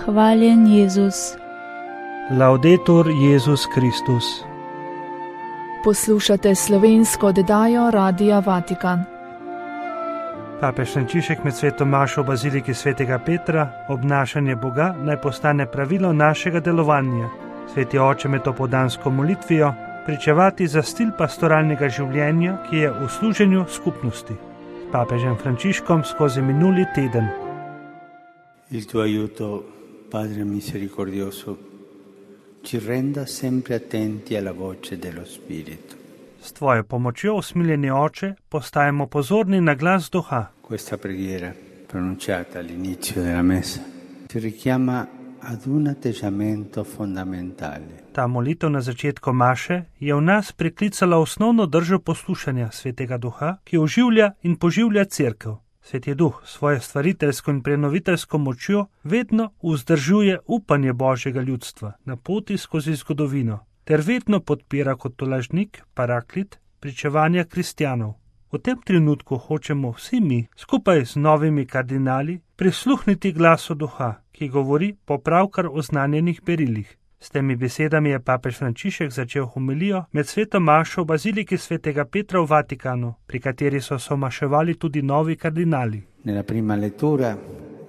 Hvaljen Jezus. Laudetur Jezus Kristus. Poslušate slovensko oddajo Radia Vatikan. Papež Frančišek med sveto mašo v baziliki svetega Petra: obnašanje Boga naj postane pravilo našega delovanja. Sveti oče med opoldansko molitvijo: pričevati za stil pastoralnega življenja, ki je v služenju skupnosti. S papežem Frančiškom skozi minuli teden. Il tuo aiuto, Padre misericordioso, ci renda sempre attenti alla voce dello Spirito. S tvojo pomočjo, usmiljeni oče, postajamo pozorni na glas duha. Questa preghiera, pronunciata all'inizio della messa, ci richiama ad un atteggiamento fondamentale. Ta molitev na začetku maše je v nas priklicala osnovno držo poslušanja svetega duha, ki oživlja in poživlja cerkev. Sveti duh svojo stvariteljsko in prenoviteljsko močjo vedno vzdržuje upanje Božjega ljudstva na poti skozi zgodovino, ter vedno podpira kot tolažnik, paraklit, pričevanja kristjanov. V tem trenutku hočemo vsi mi, skupaj z novimi kardinali, prisluhniti glasu duha, ki govori po pravkar oznanjenih berilih. S temi besedami je papež Frančišek začel homilijo med sveto mašo v baziliki svetega Petra v Vatikanu, pri kateri so somaševali tudi novi kardinali. Nella prima lettura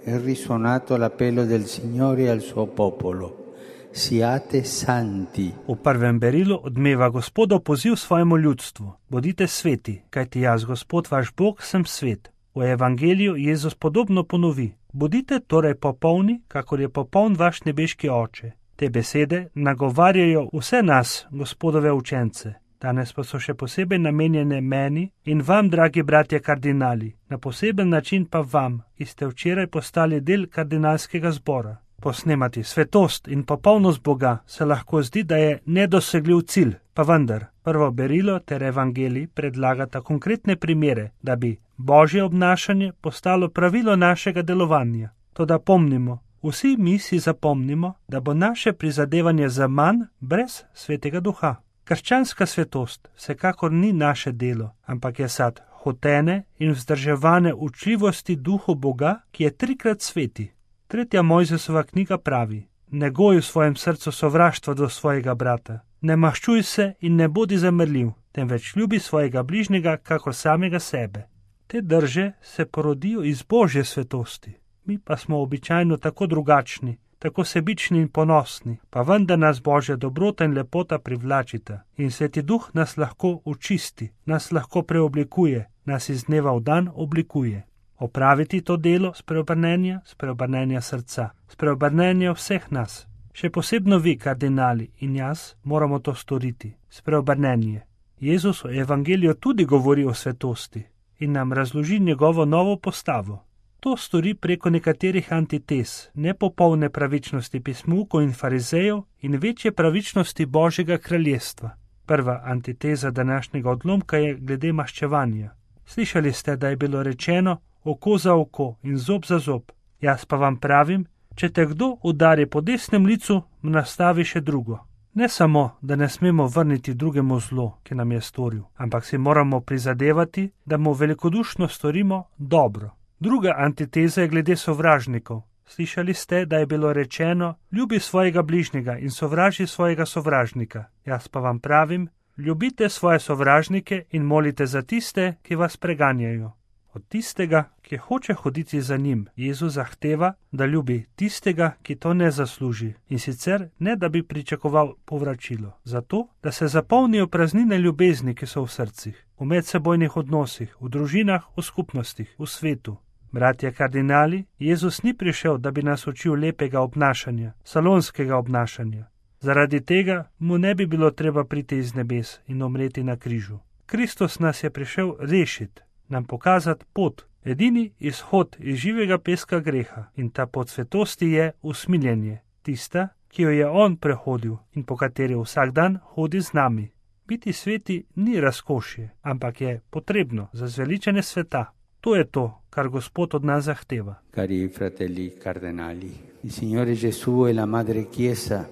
è risuonato l'appello del Signore al suo popolo: siate santi. V prvem berilu odmeva Gospodov poziv svojemu ljudstvu: bodite sveti, kajti jaz, Gospod vaš Bog, sem svet. V evangeliju Jezus podobno ponovi: bodite torej popolni, kakor je popoln vaš nebeški oče. Te besede nagovarjajo vse nas, Gospodove učence. Danes pa so še posebej namenjene meni in vam, dragi bratje kardinali, na poseben način pa vam, ki ste včeraj postali del kardinalskega zbora. Posnemati svetost in popolnost Boga se lahko zdi, da je nedosegljiv cilj, pa vendar prvo berilo ter evangelij predlagata konkretne primere, da bi Božje obnašanje postalo pravilo našega delovanja. Toda pomnimo, vsi mi si zapomnimo, da bo naše prizadevanje za manj brez svetega duha. Krščanska svetost vsekakor ni naše delo, ampak je sad hotene in vzdrževane učljivosti duhu Boga, ki je trikrat sveti. 3. Mojzesova knjiga pravi: negoj v svojem srcu sovraštva do svojega brata, ne maščuj se in ne bodi zamrljiv, temveč ljubi svojega bližnjega kakor samega sebe. Te drže se porodijo iz Božje svetosti. Mi pa smo običajno tako drugačni, tako sebični in ponosni, pa vendar nas Božja dobrota in lepota privlačita in sveti duh nas lahko očisti, nas lahko preoblikuje, nas iz dneva v dan oblikuje. Opraviti to delo spreobrnenja srca, spreobrnenja vseh nas. Še posebno vi, kardinali, in jaz moramo to storiti, spreobrnenje. Jezus v evangeliju tudi govori o svetosti in nam razloži njegovo novo postavo. To stori preko nekaterih antitez, nepopolne pravičnosti pismukov in farizejev in večje pravičnosti Božjega kraljestva. Prva antiteza današnjega odlomka je glede maščevanja. Slišali ste, da je bilo rečeno oko za oko in zob za zob. Jaz pa vam pravim, če te kdo udari po desnem licu, mu nastavi še drugo. Ne samo, da ne smemo vrniti drugemu zlo, ki nam je storil, ampak si moramo prizadevati, da mu velikodušno storimo dobro. Druga antiteza je glede sovražnikov. Slišali ste, da je bilo rečeno: ljubi svojega bližnjega in sovraži svojega sovražnika. Jaz pa vam pravim, ljubite svoje sovražnike in molite za tiste, ki vas preganjajo. Od tistega, ki hoče hoditi za njim, Jezus zahteva, da ljubi tistega, ki to ne zasluži, in sicer ne, da bi pričakoval povračilo. Zato, da se zapolnijo praznine ljubezni, ki so v srcih, v medsebojnih odnosih, v družinah, v skupnostih, v svetu. Bratje kardinali, Jezus ni prišel, da bi nas učil lepega obnašanja, salonskega obnašanja. Zaradi tega mu ne bi bilo treba priti iz nebes in umreti na križu. Kristus nas je prišel rešiti, nam pokazati pot, edini izhod iz živega peska greha, in ta pot svetosti je usmiljenje, tista, ki jo je on prehodil in po kateri vsak dan hodi z nami. Biti sveti ni razkošje, ampak je potrebno za zveličanje sveta. To je to, kar Gospod od nas zahteva. Cari fratelli cardinali, il Signore Gesù e la Madre Chiesa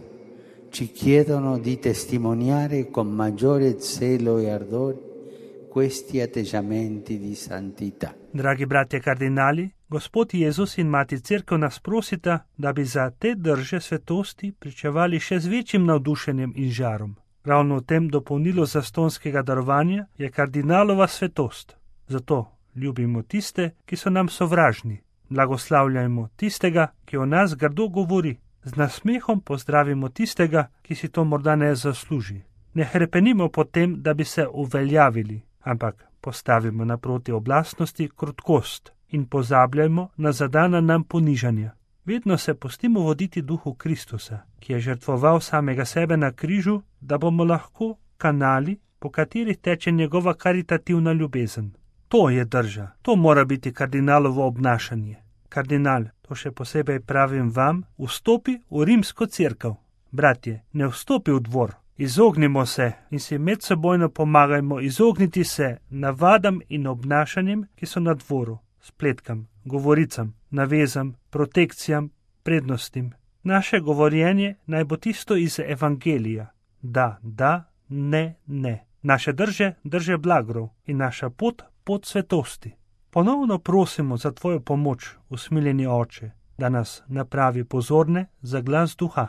ci chiedono di testimoniare con maggiore zelo e ardore questi atteggiamenti di santità. Dragi bratje kardinali, Gospod Jezus in Mati Cerkev nas prosita, da bi za te drže svetosti pričevali še z večjim navdušenjem in žarom. Ravno v tem dopolnilu zastonskega darovanja je kardinalova svetost. Zato ljubimo tiste, ki so nam sovražni. Blagoslavljajmo tistega, ki o nas grdo govori. Z nasmehom pozdravimo tistega, ki si to morda ne zasluži. Ne hrepenimo po tem, da bi se uveljavili, ampak postavimo naproti oblastnosti krotkost in pozabljajmo na zadana nam ponižanja. Vedno se pustimo voditi duhu Kristusa, ki je žrtvoval samega sebe na križu, da bomo lahko kanali, po katerih teče njegova karitativna ljubezen. To je drža, to mora biti kardinalovo obnašanje. Kardinal, to še posebej pravim vam, vstopi v rimsko cerkev. Bratje, ne vstopi v dvor. Izognimo se in si medsebojno pomagajmo izogniti se navadam in obnašanjem, ki so na dvoru, spletkam, govoricam, navezam, protekcijam, prednostim. Naše govorjenje naj bo tisto iz evangelija. Da, ne, ne. Naše drže blagrov in naša pot svetosti. Ponovno prosimo za tvojo pomoč, usmiljeni Oče, da nas napravi pozorne za glas duha.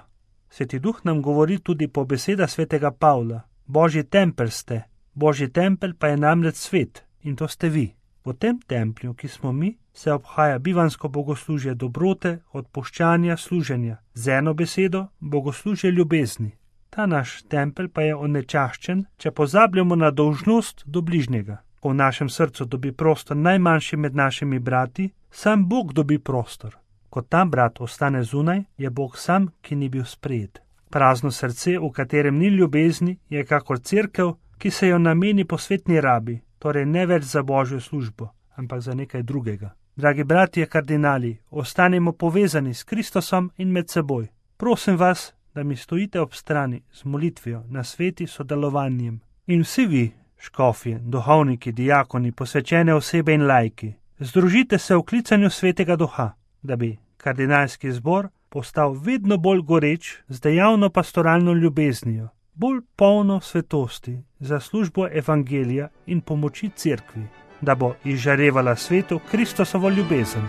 Sveti duh nam govori tudi po besedah svetega Pavla. Božji tempelj ste, Božji tempelj pa je namreč svet in to ste vi. V tem templju, ki smo mi, se obhaja bivansko bogoslužje dobrote, odpuščanja, služenja. Z eno besedo, bogoslužje ljubezni. Ta naš tempelj pa je onečaščen, če pozabljamo na dolžnost do bližnjega. Ko v našem srcu dobi prostor najmanjši med našimi brati, sam Bog dobi prostor. Ko ta brat ostane zunaj, je Bog sam, ki ni bil sprejet. Prazno srce, v katerem ni ljubezni, je kakor cerkev, ki se jo nameni posvetni rabi, torej ne več za Božjo službo, ampak za nekaj drugega. Dragi bratje kardinali, ostanemo povezani s Kristusom in med seboj. Prosim vas, da mi stojite ob strani z molitvijo, nasveti, sodelovanjem. In vsi vi, škofje, duhovniki, diakoni, posvečene osebe in laiki, združite se v klicanju svetega duha, da bi kardinalski zbor postal vedno bolj goreč z dejavno pastoralno ljubeznijo, bolj polno svetosti za službo evangelija in pomoči cerkvi, da bo izžarevala svetu Kristusovo ljubezen.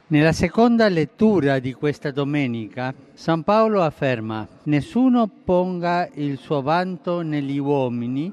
Nella seconda lettura di questa domenica, San Paolo afferma: nessuno ponga il suo vanto negli uomini,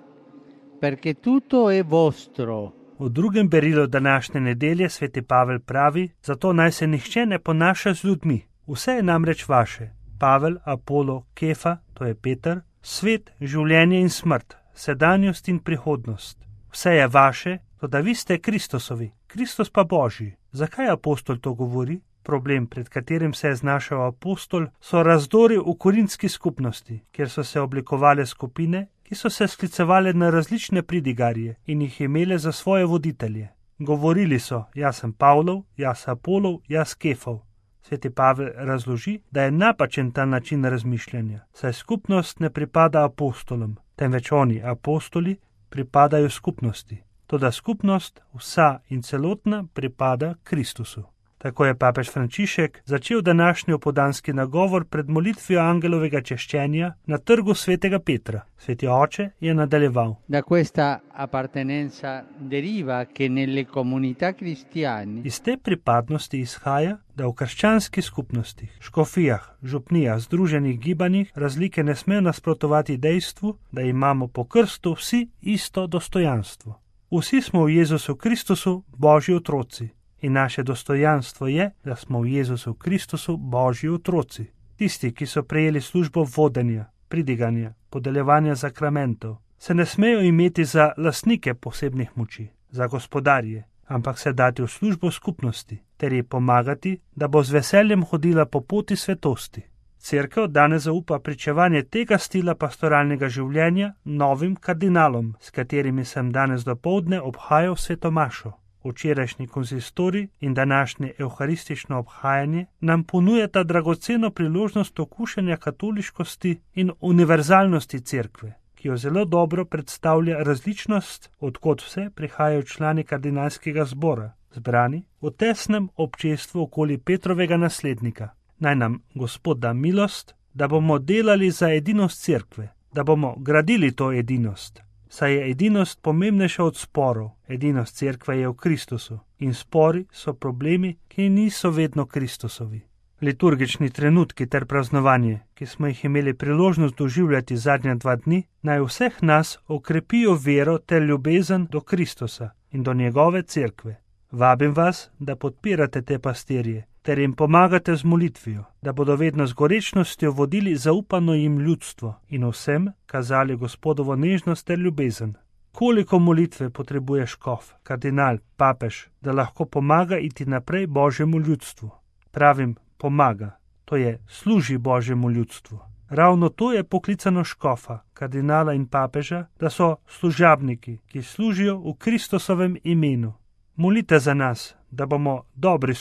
perché tutto è vostro. V drugem berilu današnje nedelje sveti Pavel pravi, zato naj se nihče ne ponaša z ljudmi. Vse je namreč vaše. Pavel, Apolo, Kefa, to je Peter, svet, življenje in smrt, sedanjost in prihodnost. Vse je vaše, toda vi ste Kristusovi, Kristus pa Božji. Zakaj apostol to govori? Problem, pred katerim se je znašel apostol, so razdori v korintski skupnosti, kjer so se oblikovale skupine, ki so se sklicevale na različne pridigarje in jih imele za svoje voditelje. Govorili so, jaz sem Pavlov, jaz Apolov, jaz Kefov. Sveti Pavel razloži, da je napačen ta način razmišljanja, saj skupnost ne pripada apostolom, temveč oni, apostoli, pripadajo skupnosti. Toda skupnost, vsa in celotna, pripada Kristusu. Tako je papež Frančišek začel današnji opoldanski nagovor pred molitvijo angelovega češčenja na trgu svetega Petra. Sveti oče je nadaljeval. Da questa appartenenza deriva che nelle comunità cristiane. Iz te pripadnosti izhaja, da v krščanskih skupnostih, škofijah, župnijah, združenih gibanjih razlike ne smejo nasprotovati dejstvu, da imamo po krstu vsi isto dostojanstvo. Vsi smo v Jezusu Kristusu Božji otroci. In naše dostojanstvo je, da smo v Jezusu Kristusu Božji otroci. Tisti, ki so prejeli službo vodenja, pridiganja, podeljevanja sakramentov, se ne smejo imeti za lastnike posebnih moči, za gospodarje, ampak se dati v službo skupnosti, ter ji pomagati, da bo z veseljem hodila po poti svetosti. Cerkev danes zaupa pričevanje tega stila pastoralnega življenja novim kardinalom, s katerimi sem danes dopoldne obhajal sveto mašo. Včerajšnji konzistorij in današnje evharistično obhajanje nam ponujata dragoceno priložnost okušanja katoliškosti in univerzalnosti cerkve, ki jo zelo dobro predstavlja različnost, odkot vse prihajajo člani kardinalskega zbora, zbrani v tesnem občestvu okoli Petrovega naslednika. Naj nam Gospod da milost, da bomo delali za edinost cerkve, da bomo gradili to edinost, saj je edinost pomembnejša od sporov. Edinost cerkve je v Kristusu in spori so problemi, ki niso vedno Kristusovi. Liturgični trenutki ter praznovanje, ki smo jih imeli priložnost doživljati zadnja 2 dni, naj vseh nas okrepijo vero ter ljubezen do Kristusa in do njegove cerkve. Vabim vas, da podpirate te pastirje ter jim pomagate z molitvijo, da bodo vedno z gorečnostjo vodili zaupano jim ljudstvo in vsem kazali Gospodovo nežnost ter ljubezen. Koliko molitve potrebuje škof, kardinal, papež, da lahko pomaga iti naprej Božjemu ljudstvu? Pravim, pomaga, to je služi Božjemu ljudstvu. Ravno to je poklicano škofa, kardinala in papeža, da so služabniki, ki služijo v Kristusovem imenu. Molite za nas, da bomo dobri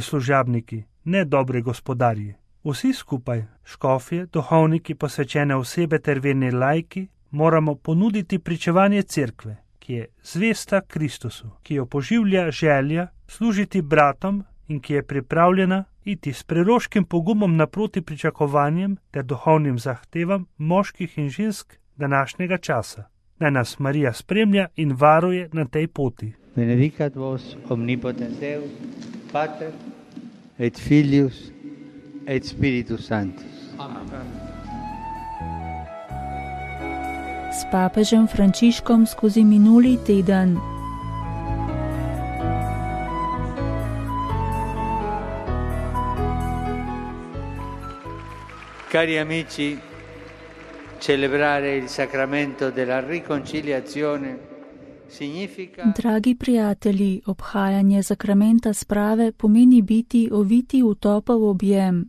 služabniki, ne dobri gospodarji. Vsi skupaj, škofje, duhovniki, posvečene osebe ter verni laiki, moramo ponuditi pričevanje cerkve, ki je zvesta Kristusu, ki jo poživlja želja služiti bratom in ki je pripravljena iti s preroškim pogumom naproti pričakovanjem ter duhovnim zahtevam moških in žensk današnjega časa. Naj nas Marija spremlja in varuje na tej poti. Benedicat vos omnipotens Deus, Pater et Filius et Spiritus Sanctus. Amen. S papežem Frančiškom skozi minuli teden. Cari amici, celebrare il sacramento della riconciliazione significa... Dragi prijatelji, obhajanje sakramenta sprave pomeni biti oviti v topel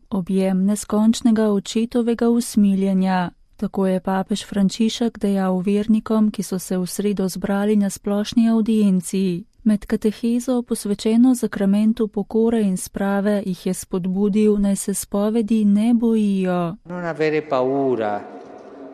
objem neskončnega očetovega usmiljenja. Tako je papež Frančišek dejal vernikom, ki so se v sredo zbrali na splošni audienci. Med katehezo, posvečeno sakramentu pokore in sprave, jih je spodbudil, naj se spovedi ne bojijo. Non avere paura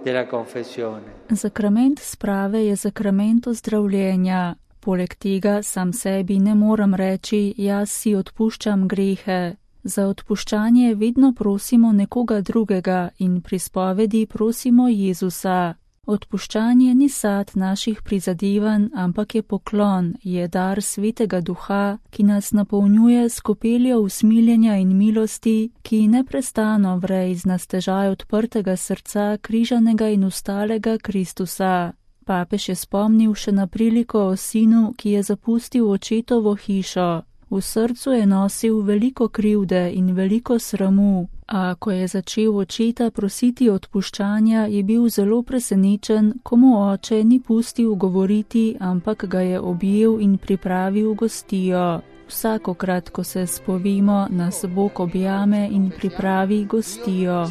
della confessione. Sakrament sprave je sakrament ozdravljenja. Poleg tega sam sebi ne moram reči, jaz si odpuščam grehe. Za odpuščanje vedno prosimo nekoga drugega in pri spovedi prosimo Jezusa. Odpuščanje ni sad naših prizadevanj, ampak je poklon, je dar Svetega Duha, ki nas napolnjuje s kopeljo usmiljenja in milosti, ki neprestano vre iz nastežaj odprtega srca križanega in ustalega Kristusa. Papež je spomnil še na priliko o sinu, ki je zapustil očetovo hišo. V srcu je nosil veliko krivde in veliko sramu, a ko je začel očeta prositi odpuščanja, je bil zelo presenečen, ko mu oče ni pustil govoriti, ampak ga je objel in pripravil gostijo. Vsakokrat, ko se spovimo, nas Bog objame in pripravi gostijo.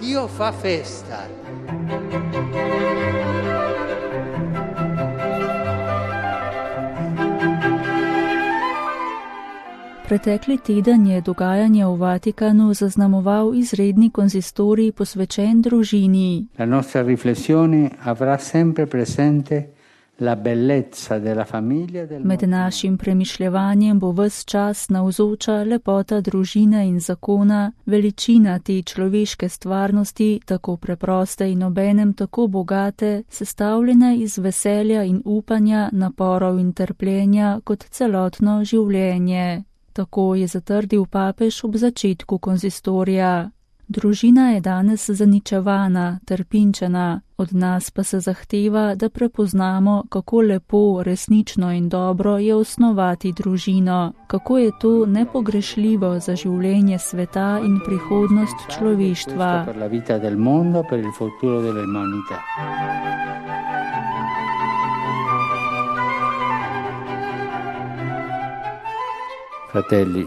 Dio fa festa. Pretekli teden je dogajanje v Vatikanu zaznamoval izredni konzistorij posvečen družini. La nostra riflessione avrà sempre presente la bellezza della famiglia del Med našim premišljevanjem bo ves čas navzoča lepota družine in zakona, veličina te človeške stvarnosti, tako preproste in obenem tako bogate, sestavljene iz veselja in upanja, naporov in trpljenja kot celotno življenje. Tako je zatrdil papež ob začetku konzistorija. Družina je danes zaničevana, trpinčena, od nas pa se zahteva, da prepoznamo, kako lepo, resnično in dobro je osnovati družino, kako je to nepogrešljivo za življenje sveta in prihodnost človeštva. Fratelli,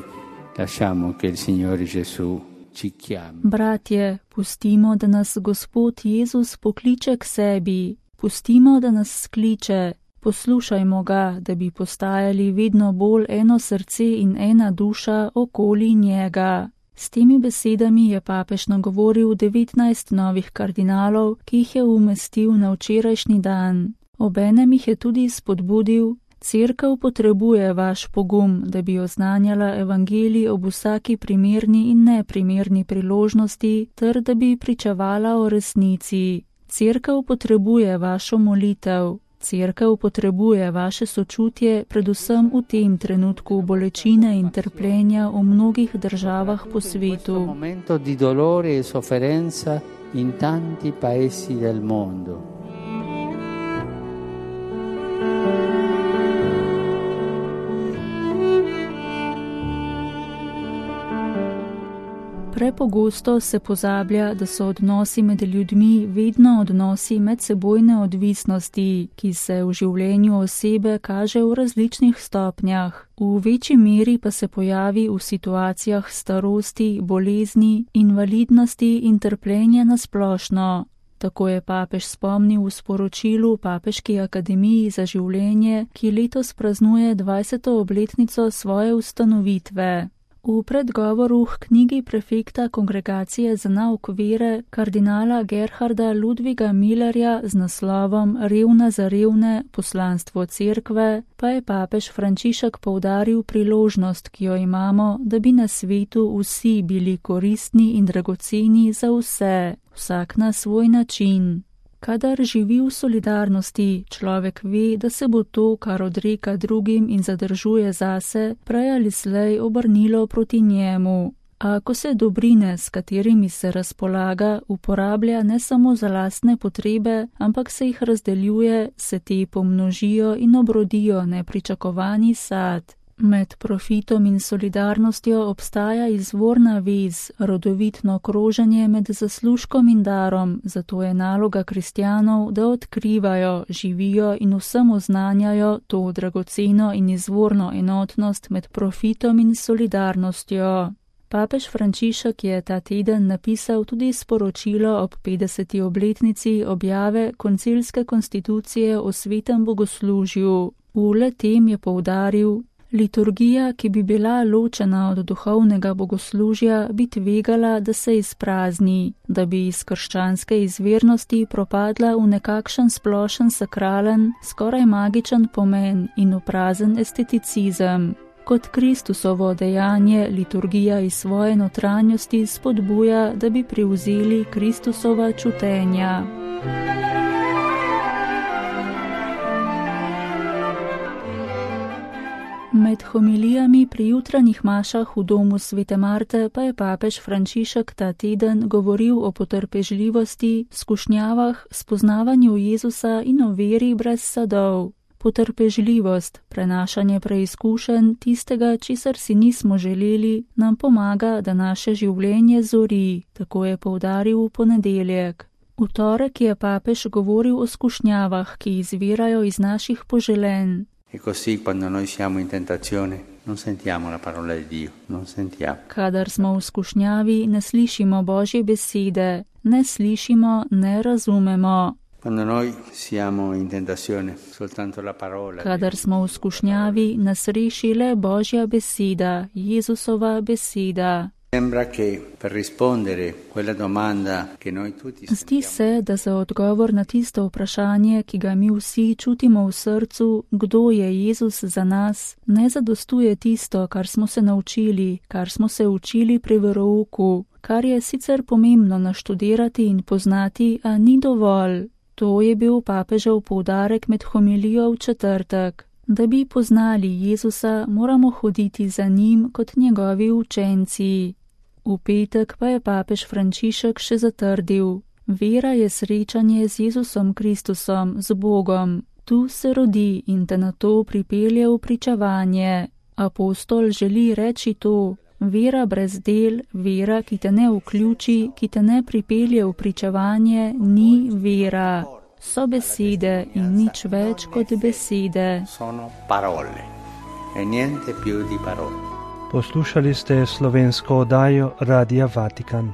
lasciamo che il Signore Gesù ci chiami. Bratje, pustimo, da nas Gospod Jezus pokliče k sebi, pustimo, da nas skliče, poslušajmo ga, da bi postajali vedno bolj eno srce in ena duša okoli njega. S temi besedami je papež nagovoril 19 novih kardinalov, ki jih je umestil na včerajšnji dan. Obenem jih je tudi spodbudil: Cerkev potrebuje vaš pogum, da bi oznanjala evangelij ob vsaki primerni in neprimerni priložnosti, ter da bi pričevala o resnici. Cerkev potrebuje vašo molitev. Cerkev potrebuje vaše sočutje, predvsem v tem trenutku bolečine in trpljenja v mnogih državah po svetu. Momento di dolore e sofferenza in tanti paesi del mondo. Prepogosto se pozablja, da so odnosi med ljudmi vedno odnosi medsebojne odvisnosti, ki se v življenju osebe kaže v različnih stopnjah. V večji meri pa se pojavi v situacijah starosti, bolezni, invalidnosti in trpljenja na splošno. Tako je papež spomnil v sporočilu Papeški akademiji za življenje, ki letos praznuje 20. obletnico svoje ustanovitve. V predgovoru k knjigi prefekta Kongregacije za nauk vere kardinala Gerharda Ludviga Millerja z naslovom Revna za revne, poslanstvo cerkve, pa je papež Frančišek poudaril priložnost, ki jo imamo, da bi na svetu vsi bili koristni in dragoceni za vse, vsak na svoj način. Kadar živi v solidarnosti, človek ve, da se bo to, kar odreka drugim in zadržuje zase, prej ali slej obrnilo proti njemu. A ko se dobrine, s katerimi se razpolaga, uporablja ne samo za lastne potrebe, ampak se jih razdeljuje, se te pomnožijo in obrodijo nepričakovani sad. Med profitom in solidarnostjo obstaja izvorna vez, rodovitno kroženje med zaslužkom in darom, zato je naloga kristjanov, da odkrivajo, živijo in vsem oznanjajo to dragoceno in izvorno enotnost med profitom in solidarnostjo. Papež Frančišek je ta teden napisal tudi sporočilo ob 50. obletnici objave koncilske konstitucije o svetem bogoslužju. V le-tem je poudaril: liturgija, ki bi bila ločena od duhovnega bogoslužja, bi tvegala, da se izprazni, da bi iz krščanske izvirnosti propadla v nekakšen splošen sakralen, skoraj magičen pomen in v prazen esteticizem. Kot Kristusovo dejanje liturgija iz svoje notranjosti spodbuja, da bi prevzeli Kristusova čutenja. Med homilijami pri jutranjih mašah v domu Svete Marte pa je papež Frančišek ta teden govoril o potrpežljivosti, skušnjavah, spoznavanju Jezusa in o veri brez sadov. Potrpežljivost, prenašanje preizkušenj, tistega, česar si nismo želeli, nam pomaga, da naše življenje zori, tako je poudaril v ponedeljek. V torek je papež govoril o skušnjavah, ki izvirajo iz naših poželenj. E così quando noi siamo in tentazione non sentiamo la parola di Dio, non sentiamo. Kadar smo v skušnjavi, ne slišimo Božje besede, ne slišimo, ne razumemo. Quando noi siamo in tentazione, soltanto la parola. Kadar smo v skušnjavi, nas reši le Božja beseda, Jezusova beseda. Sembra che per rispondere quella domanda che noi tutti sentiamo. Zdi se, da za odgovor na tisto vprašanje, ki ga mi vsi čutimo v srcu, kdo je Jezus za nas, ne zadostuje tisto, kar smo se naučili, kar smo se učili pri verouku, kar je sicer pomembno naštudirati in poznati, a ni dovolj. To je bil papežev poudarek med homilijo v četrtek. Da bi poznali Jezusa, moramo hoditi za njim kot njegovi učenci. V petek pa je papež Frančišek še zatrdil: vera je srečanje z Jezusom Kristusom, z Bogom. Tu se rodi in te na to pripelje v pričevanje. Apostol želi reči to: vera brez del, vera, ki te ne vključi, ki te ne pripelje v pričevanje, ni vera. So besede in nič več kot besede. Sono parole e niente più di parole. Poslušali ste slovensko oddajo Radia Vatikan.